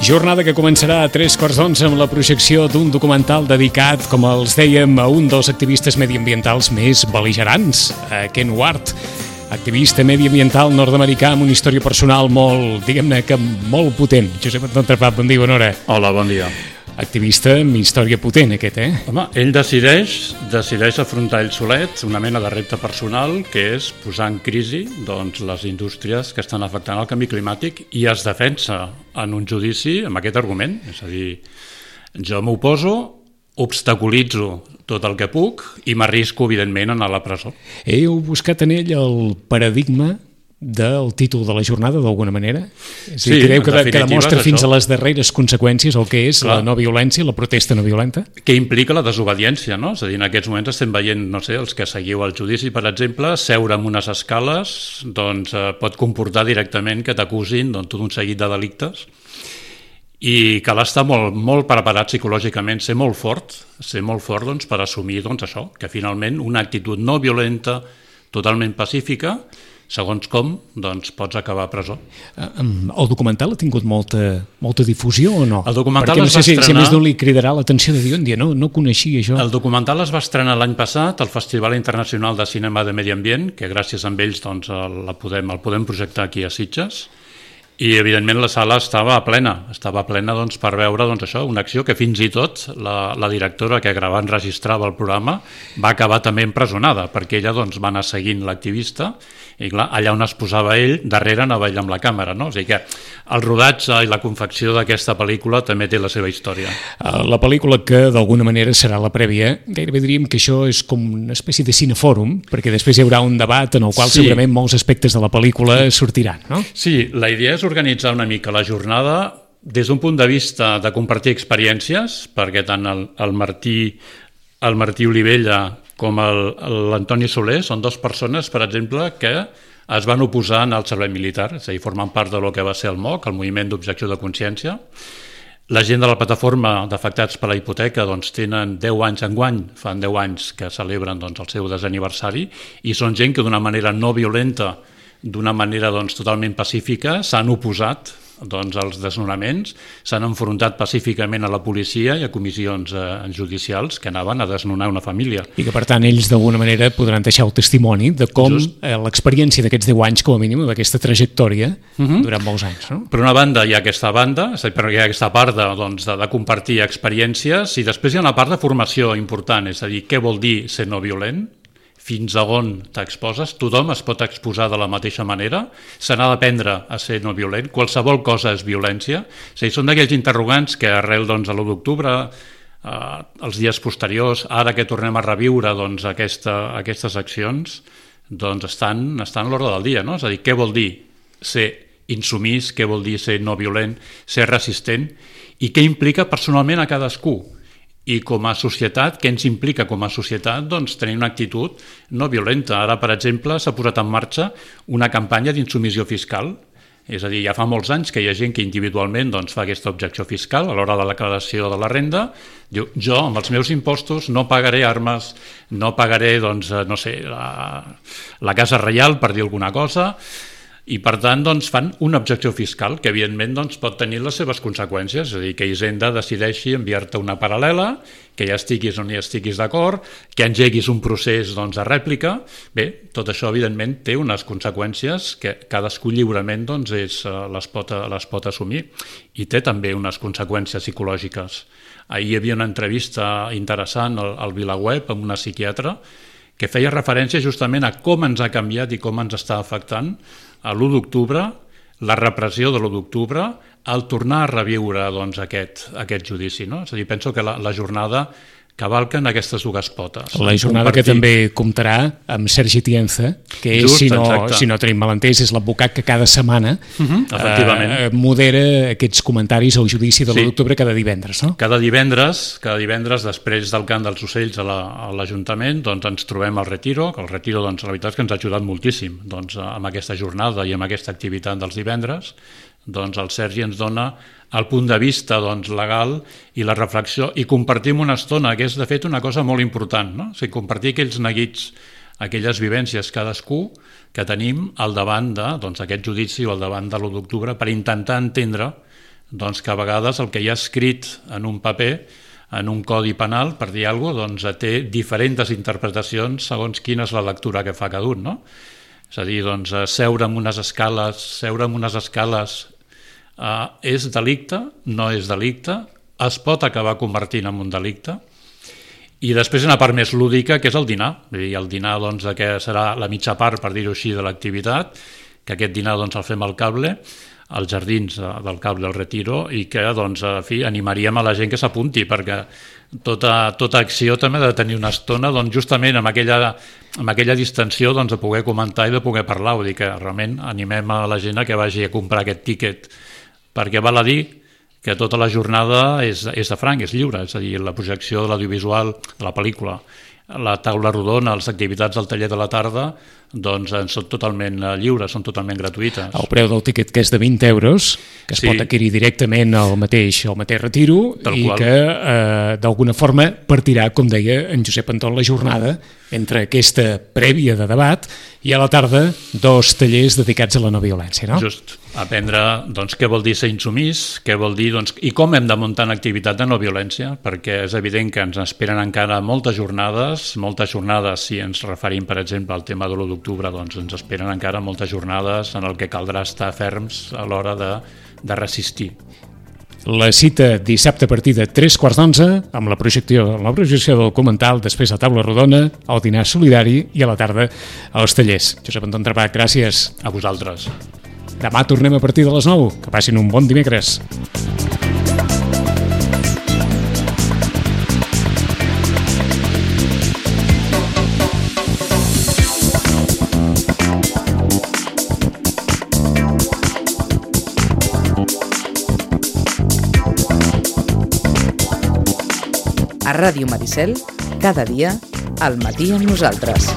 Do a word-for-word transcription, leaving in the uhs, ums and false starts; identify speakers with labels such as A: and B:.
A: Jornada que començarà a tres quarts d'onze amb la projecció d'un documental dedicat, com els dèiem, a un dels activistes mediambientals més bel·ligerants, a Ken Ward, activista mediambiental nord-americà amb una història personal molt, diguem-ne que molt potent. Josep Anton Trepat, bon dia, bona hora.
B: Hola, bon dia.
A: Activista amb història potent, aquest, eh?
B: Home, ell decideix, decideix afrontar ell solet una mena de repte personal, que és posar en crisi doncs, les indústries que estan afectant el canvi climàtic, i es defensa en un judici amb aquest argument. És a dir, jo m'oposo, obstaculitzo tot el que puc i m'arrisco, evidentment, a anar a la presó.
A: Heu buscat en ell el paradigma del títol de la jornada, d'alguna manera? És
B: sí,
A: dir, creu que, que demostra fins
B: això.
A: a les darreres conseqüències el que és Clar. La no violència, la protesta no violenta?
B: Que implica la desobediència, no? És a dir, en aquests moments estem veient, no sé, els que seguiu el judici, per exemple, seure amb unes escales doncs, eh, pot comportar directament que t'acusin doncs, tot un seguit de delictes, i cal estar molt, molt preparat psicològicament, ser molt fort, ser molt fort doncs, per assumir doncs, això, que finalment una actitud no violenta, totalment pacífica, segons com, doncs pots acabar a presó.
A: El documental ha tingut molta, molta difusió o no?
B: El documental
A: Perquè no
B: es va
A: sé si,
B: estrenar...
A: si més no li cridarà l'atenció de dir, un dia, no, no coneixia això.
B: El documental es va estrenar l'any passat al Festival Internacional de Cinema de Medi Ambient, que gràcies a ells doncs, la podem, el podem projectar aquí a Sitges, i evidentment la sala estava plena, estava plena doncs, per veure doncs, això, una acció que fins i tot la, la directora que gravava enregistrava el programa va acabar també empresonada, perquè ella doncs, va anar seguint l'activista, i clar, allà on es posava ell, darrere anava ell amb la càmera, no? O sigui que el rodatge i la confecció d'aquesta pel·lícula també té la seva història.
A: La pel·lícula que d'alguna manera serà la prèvia, gairebé diríem que això és com una espècie de cinefòrum, perquè després hi haurà un debat en el qual sí. segurament molts aspectes de la pel·lícula sortiran, no?
B: Sí, la idea és organitzar una mica la jornada des d'un punt de vista de compartir experiències, perquè tant el, el Martí el Martí Olivella com l'Antoni Soler són dues persones, per exemple, que es van oposar al servei militar, és a dir, formen part del que va ser el M O C, el Moviment d'Objecció de Consciència. La gent de la plataforma d'afectats per la hipoteca doncs, tenen deu anys enguany, fan deu anys que celebren doncs, el seu desaniversari, i són gent que d'una manera no violenta, d'una manera doncs, totalment pacífica, s'han oposat doncs, als desnonaments, s'han enfrontat pacíficament a la policia i a comissions eh, judicials que anaven a desnonar una família.
A: I que, per tant, ells d'alguna manera podran deixar el testimoni de com eh, l'experiència d'aquests deu anys, com a mínim, d'aquesta trajectòria uh-huh. durant molts anys. No?
B: Per una banda hi ha aquesta banda, és a dir, hi ha aquesta part de, doncs, de, de compartir experiències, i després hi ha una part de formació important, és a dir, què vol dir ser no violent, fins a on t'exposes, tothom es pot exposar de la mateixa manera, se n'ha d'aprendre a ser no violent, qualsevol cosa és violència, és a dir, són d'aquells interrogants que arrel doncs, a l'u d'octubre, eh, els dies posteriors, ara que tornem a reviure doncs, aquesta, aquestes accions, doncs estan, estan a l'ordre del dia, no? És a dir, què vol dir ser insumís, què vol dir ser no violent, ser resistent, i què implica personalment a cadascú. I com a societat, què ens implica com a societat? Doncs tenir una actitud no violenta. Ara, per exemple, s'ha posat en marxa una campanya d'insumissió fiscal. És a dir, ja fa molts anys que hi ha gent que individualment doncs, fa aquesta objecció fiscal a l'hora de la declaració de la renda. Diu, jo, amb els meus impostos, no pagaré armes, no pagaré, doncs, no sé, la, la casa reial, per dir alguna cosa, i per tant doncs, fan una objecció fiscal que evidentment doncs, pot tenir les seves conseqüències, és a dir, que Hisenda decideixi enviar-te una paral·lela, que ja estiguis o no hi estiguis d'acord, que engeguis un procés doncs, de rèplica. Bé, tot això evidentment té unes conseqüències que cadascú lliurement doncs, és, les, pot, les pot assumir, i té també unes conseqüències psicològiques. Ahir hi havia una entrevista interessant al, al VilaWeb amb una psiquiatra que feia referència justament a com ens ha canviat i com ens està afectant a l'u d'octubre, la repressió de l'u d'octubre, al tornar a reviure doncs, aquest, aquest judici. No? És a dir, penso que la, la jornada cavalquen aquestes dues potes.
A: La jornada compartir... que també comptarà amb Sergi Tienza, que és, Just, si, no, si no tenim malentès, és l'advocat que cada setmana uh-huh, efectivament. Eh, modera aquests comentaris al judici de l'u d'octubre cada divendres. No?
B: Cada divendres, cada divendres, després del cant dels ocells a l'Ajuntament, la, doncs, ens trobem al Retiro, que el Retiro doncs, la veritat és que ens ha ajudat moltíssim doncs, amb aquesta jornada i amb aquesta activitat dels divendres. Doncs el Sergi ens dona el punt de vista doncs, legal i la reflexió, i compartim una estona, que és de fet una cosa molt important, no? O sigui, compartir aquells neguits, aquelles vivències cadascú que tenim al davant de, doncs, aquest judici o al davant de l'u d'octubre per intentar entendre doncs que a vegades el que hi ha escrit en un paper, en un codi penal, per dir alguna cosa, doncs té diferents interpretacions segons quina és la lectura que fa cada un, no? És a dir, doncs, seure amb unes escales, seure amb unes escales eh, és delicte, no és delicte, es pot acabar convertint en un delicte. I després una part més lúdica, que és el dinar. I el dinar, doncs, que serà la mitja part, per dir-ho així, de l'activitat, que aquest dinar doncs, el fem al Cable, als jardins del Cable del Retiro, i que, doncs, a fi, animaríem a la gent que s'apunti, perquè tota, tota acció també ha de tenir una estona, doncs, justament amb aquella, amb aquella distensió, doncs, de poder comentar i de poder parlar. Vull dir que realment animem a la gent a que vagi a comprar aquest tíquet, perquè val a dir que tota la jornada és, és de franc, és lliure, és a dir, la projecció de l'audiovisual, de la pel·lícula, la taula rodona, les activitats del taller de la tarda, doncs són totalment lliures, són totalment gratuïtes.
A: El preu del tiquet, que és de vint euros, que es sí. pot adquirir directament al mateix, al mateix retiro, Tal i qual. que eh, d'alguna forma partirà, com deia en Josep Anton, la jornada entre aquesta prèvia de debat i a la tarda dos tallers dedicats a la no violència, no?
B: Just, aprendre doncs, què vol dir ser insumís, què vol dir, doncs, i com hem de muntar una activitat de no violència, perquè és evident que ens esperen encara moltes jornades, moltes jornades, si ens referim, per exemple, al tema de l'u d'octubre, doncs ens esperen encara moltes jornades en el que caldrà estar ferms a l'hora de, de resistir.
A: La cita dissabte a partir de tres quarts d'onze amb la projecció, la projecció del documental, després la taula rodona, el dinar solidari i a la tarda als tallers. Josep Anton Trapac, gràcies.
B: A vosaltres.
A: Demà tornem a partir de les nou. Que passin un bon dimecres.
C: A Ràdio Maricel, cada dia, al matí amb nosaltres.